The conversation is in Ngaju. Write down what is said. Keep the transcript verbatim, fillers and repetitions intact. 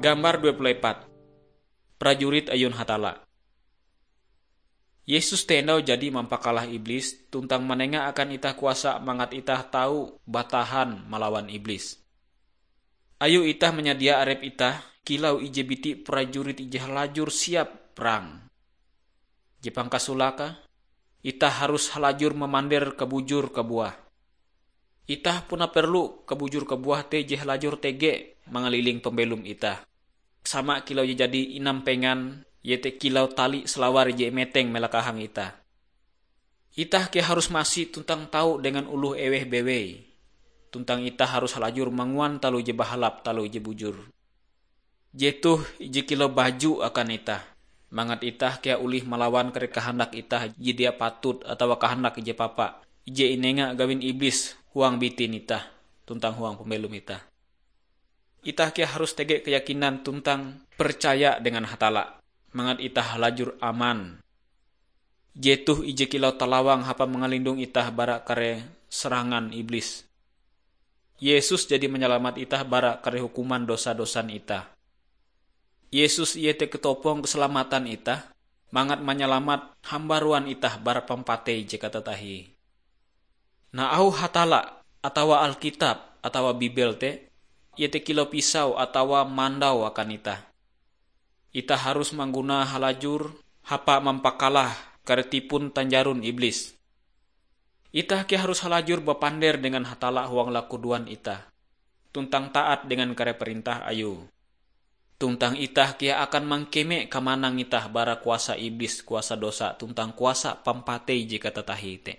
Gambar dua puluh empat. Prajurit ayun Hatalla. Yesus te endau jadi mampakalah iblis tuntang manenga akan itah kuasa mangat itah tau batahan malawan iblis. Ayo itah manyadia arep itah kilau ije biti prajurit ije halajur siap perang. Je pangkasolake, itah harus halajur mamander kabujur kabuah. Itah puna perlu kabujur kabuah te je halajur tege mangaliling pambelom itah. Sama kilau je jadi inampengan, iete kilau tali salawar je imeteng melakahang itah. Itah kea harus masi tuntang tau dengan oloh eweh bewei. Tuntang itah harus halajur manguan taloh je bahalap, taloh je bujur. Jetoh ije kilau baju akan itah, mangat itah kea olih malawan kare kahandak itah je dia patut atawa kahandak ije papa, ije inenga gawin iblis huang bitin itah tuntang huang pambelom itah. Itah kea harus tege keyakinan tuntang percaya dengan Hatalla, mangat itah halajur aman. Jetoh ije kilau talawang hapan mangalindong itah bara kare serangan iblis. Yesus jadi manyalamat itah bara kare hukuman dosa-dosan itah. Yesus iete ketopong keselamatan itah, mangat manyalamat hambaruan itah bara pampatei je katatahie. Nah, auh Hatalla atawa Alkitab atawa Bibel te, iete kilau pisau atawa mandau akan itah. Itah harus mangguna halajur hapa mampakalah kare tipon tanjaron iblis. Itah kea harus halajur bapander dengan Hatalla huang lakudoan itah, tuntang taat dengan kare perintah Ayue. Tuntang itah kea akan mangkeme kamanang itah bara kuasa iblis, kuasa dosa, tuntang kuasa pampatei je katatahie te.